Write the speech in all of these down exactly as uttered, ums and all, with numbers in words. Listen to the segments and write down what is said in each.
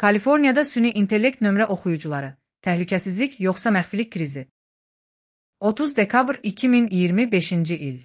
Kaliforniyada süni intellekt nömrə oxuyucuları, təhlükəsizlik yoxsa məxfilik krizi. otuz dekabr iki min iyirmi beşinci il.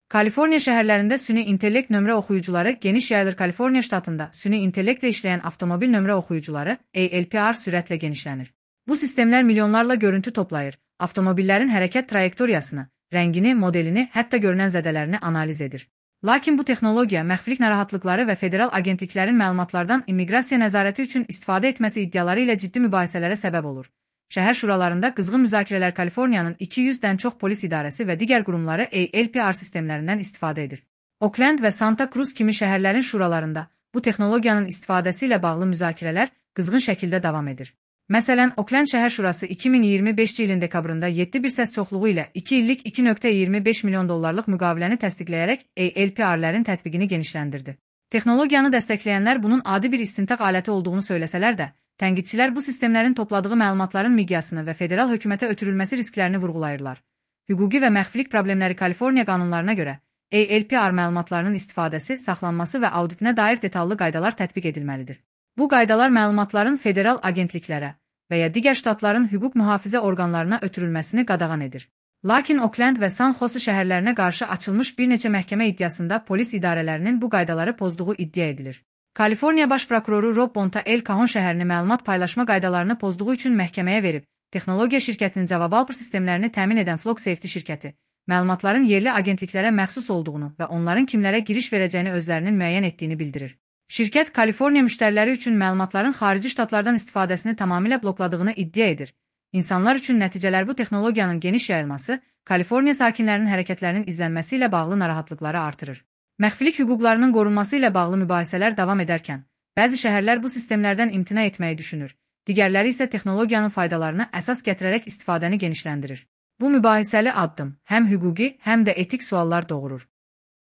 Kaliforniya şəhərlərində süni intellekt nömrə oxuyucuları geniş yayılır. Kaliforniya ştatında süni intellektlə işləyən avtomobil nömrə oxuyucuları A L P R sürətlə genişlənir. Bu sistemlər milyonlarla görüntü toplayır, avtomobillərin hərəkət trayektoriyasını, rəngini, modelini, hətta görünən zədələrini analiz edir. Lakin bu texnologiya məxfilik narahatlıqları və federal agentliklərin məlumatlardan immiqrasiya nəzarəti üçün istifadə etməsi iddiaları ilə ciddi mübahisələrə səbəb olur. Şəhər şuralarında qızğın müzakirələr Kaliforniyanın iki yüzdən çox polis idarəsi və digər qurumları A L P R sistemlərindən istifadə edir. Oakland və Santa Cruz kimi şəhərlərin şuralarında bu texnologiyanın istifadəsi ilə bağlı müzakirələr qızğın şəkildə davam edir. Məsələn, Oakland şəhər şurası iki min iyirmi beşinci ilin dekabrında yeddi bir səs çoxluğu ilə iki illik iki nöqtə iyirmi beş milyon dollarlıq müqaviləni təsdiqləyərək A L P R-lərin tətbiqini genişləndirdi. Texnologiyanı dəstəkləyənlər bunun adi bir istintaq aləti olduğunu söyləsələr də, tənqidçilər bu sistemlərin topladığı məlumatların miqyasını və federal hökumətə ötürülməsi risklərini vurğulayırlar. Hüquqi və məxfilik problemləri Kaliforniya qanunlarına görə A L P R məlumatlarının istifadəsi, saxlanması və auditinə dair detallı qaydalar tətbiq edilməlidir. Bu qaydalar məlumatların federal agentliklərə və ya digər ştatların hüquq mühafizə orqanlarına ötürülməsini qadağan edir. Lakin Oakland və San Jose şəhərlərinə qarşı açılmış bir neçə məhkəmə iddiasında polis idarələrinin bu qaydaları pozduğu iddia edilir. Kaliforniya baş prokuroru Rob Bonta El Cajon şəhərini məlumat paylaşma qaydalarını pozduğu üçün məhkəməyə verib, texnologiya şirkətinin cavab-alpır sistemlərini təmin edən Flock Safety şirkəti, məlumatların yerli agentliklərə məxsus olduğunu və onların kimlərə giriş verəcəyini özlərinin müəyyən etdiyini bildirir. Şirkət Kaliforniya müştəriləri üçün məlumatların xarici ştatlardan istifadəsini tamamilə blokladığını iddia edir. İnsanlar üçün nəticələr bu texnologiyanın geniş yayılması, Kaliforniya sakinlərinin hərəkətlərinin izlənməsi ilə bağlı narahatlıqları artırır. Məxfilik hüquqlarının qorunması ilə bağlı mübahisələr davam edərkən, bəzi şəhərlər bu sistemlərdən imtina etməyi düşünür, digərləri isə texnologiyanın faydalarına əsas gətirərək istifadəni genişləndirir. Bu mübahisəli addım həm hüquqi, həm də etik suallar doğurur.